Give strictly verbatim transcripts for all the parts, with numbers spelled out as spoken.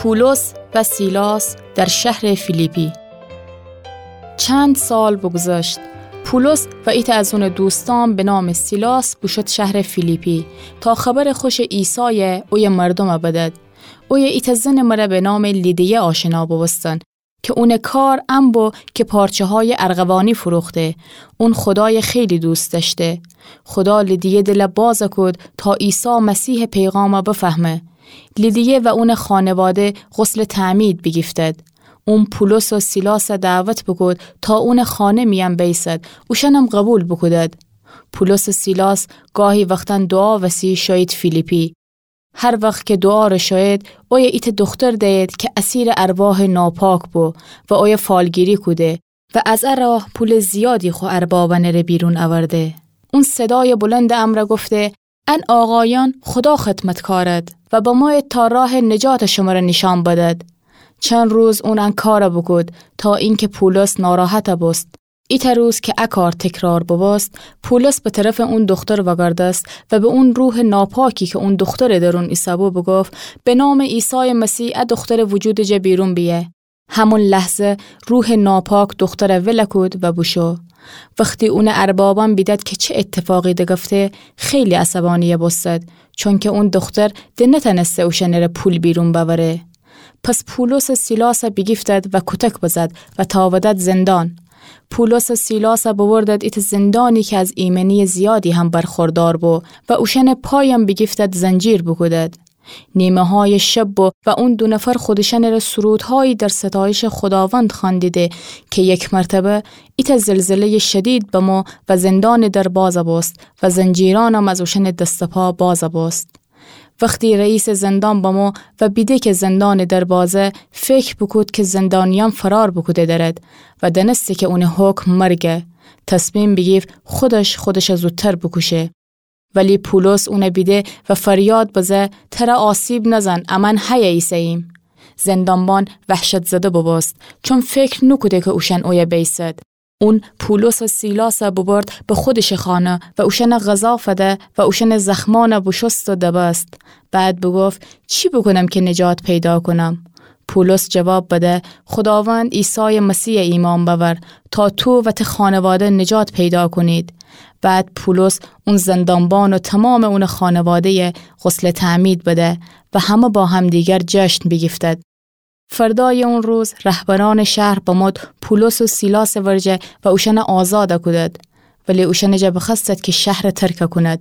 پولس و سیلاس در شهر فیلیپی. چند سال بگذشت. پولس و ایتأ از اونٚ دوستان به نامٚ سیلاس بوشد شهرٚ فیلیپی تا خبرٚ خوشٚ عیسای اویه مردوم بدد. اویه ایتأ زنٚ مره به نامٚ لیدیه آشنا بوبوستن که اونٚ کار ان بو که پارچه‌هایٚ ارغوانی فروخته. اون خودای خیلی دوست دأشته. خودا لیدیه دل باز کود تا عیسی مسیحٚ پیغام بفهمه. لیدیه و اونٚ خانواده غسلٚ تعمید بیگیفتد. اون پولس و سیلاس دعوت بوکود تا اونٚ خانه میأن بیسد. اوشأنم قبول بوکودد. پولس و سیلاس گاهی وختأن دوعا وسی شویید فیلیپی. هر وخت که دوعا ره شوید، اویه ایتأ دوختر دیید که اسیرٚ ارواحٚ ناپاک بو و اویه فالگیری کوده و از ا راه پولٚ زیادی خو اربابأنٚ ره بیرون اورده. اون صدایٚ بلندٚ امرأ گفته: ان آقایأن خودا خدمتکارد و بمویید تا راهٚ نجات شمره نیشأن بدد. چند روز اون ان کار بوکود تا اینکه پولس ناراحت بوست. ایتأ روز که ا کار تکرار بوبوست، پولس به طرفٚ اون دوختر وأگردست و به اون روحٚ ناپاکی که اون دوخترٚ درون ایسه‌بو بوگفت: به نامٚ عیسایٚ مسیح ا دوخترٚ وجودٚ جا بیرون بیه. همون لحظه روحٚ ناپاک دوختر ول کود و بوشو. وختی اونٚ اربابأن بیدد که چه ایتفاقی دگفته، خیلی عصبانی بوستد، چونکه اون دوختر د نتأنسته اوشأنٚ ره پول بیرون بأوره. پس پولس و سیلاس بیگیفتد و کوتک بزد و تأودد زندان. پولس و سیلاس ببردد ایتأ زندانی که از ایمنیٚ زیادی هم برخوردار بو و اوشأنٚ پایم بیگیفتد زنجیر بوکودد. نیمه‌هایٚ شب بو و اون دو نفر خودشأنٚ ره سرودهایی در ستایشٚ خوداوند خواندیدی که یک مرتبه ایتأ زلزله‌یٚ شدید بمو و زندانٚ در باز بوست و زنجیرأنم از اوشأنٚ دست و پا باز بوست. وختی رئیسٚ زندان بمو و بیده که زندانٚ در بازه، فکر بوکود که زندانیأن فرار بوکوده درد و دأنسته که اونٚ حکم مرگه. تصمیم بیگیفت خودش خودش زودتر بوکوشه. ولی پولس اون بیده و فریاد بزه: تر آسیب نزن، امأن هیه ایسه‌ییم. زندانبان وحشت‌زده بوبوست، چون فکر نوکوده که اوشأن اویه بیسد. اون پولس و سیلاس ببرد به خودشٚ خانه و اوشأن غذا فده و اوشأنٚ زخمأن بوشوست و دبست. بعد بوگفت: چی بوکونم که نجات پیدا کونم؟ پولس جواب بده: خوداوند عیسایٚ مسیح ایمأن بأور تا تو و ته خانواده نجات پیدا کونید. بعد پولس اون زندانبان و تومامٚ اونٚ خانواده‌یه غسلٚ تعمید بده و همه با همدیگر جشن بیگیفتد. فردایٚ اون روز رهبرأنٚ شهر بمود پولس و سیلاسٚ ورجه و اوشأن آزاد کودد. ولی اوشأنٚ جا بخوأستد که شهر ترک کونید.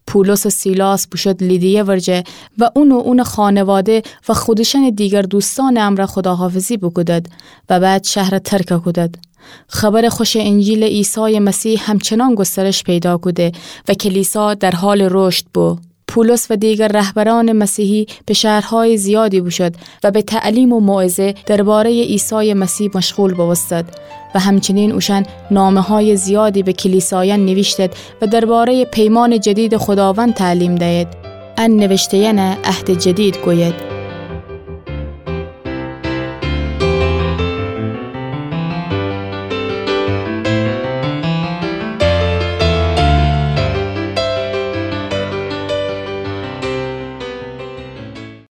پولس و سیلاس بوشود لیدیه ورجه و اون و اونٚ خانواده و خودشأنٚ دیگر دوستأنٚ امرأ خداحافظی بوکودد و بعد شهر ترک کودد. خبرٚ خوشٚ انجیلٚ عیسایٚ مسیح همچنان گسترش پیدا کوده و کلیسا در حالٚ رشد بو. پولس و دیگر رهبرأنٚ مسیحی به شهرهایٚ زیادی بوشود و به تعلیم و موعظه درباره‌یٚ عیسایٚ مسیح مشغول بوبوستد و همچنین اوشأن نامه‌هایٚ زیادی به کلیسایأن نیویشتد و درباره‌یٚ پیمانٚ جدیدٚ خداوند تعلیم دیید. ان نوشته‌یأن عهدٚ جدید گوید.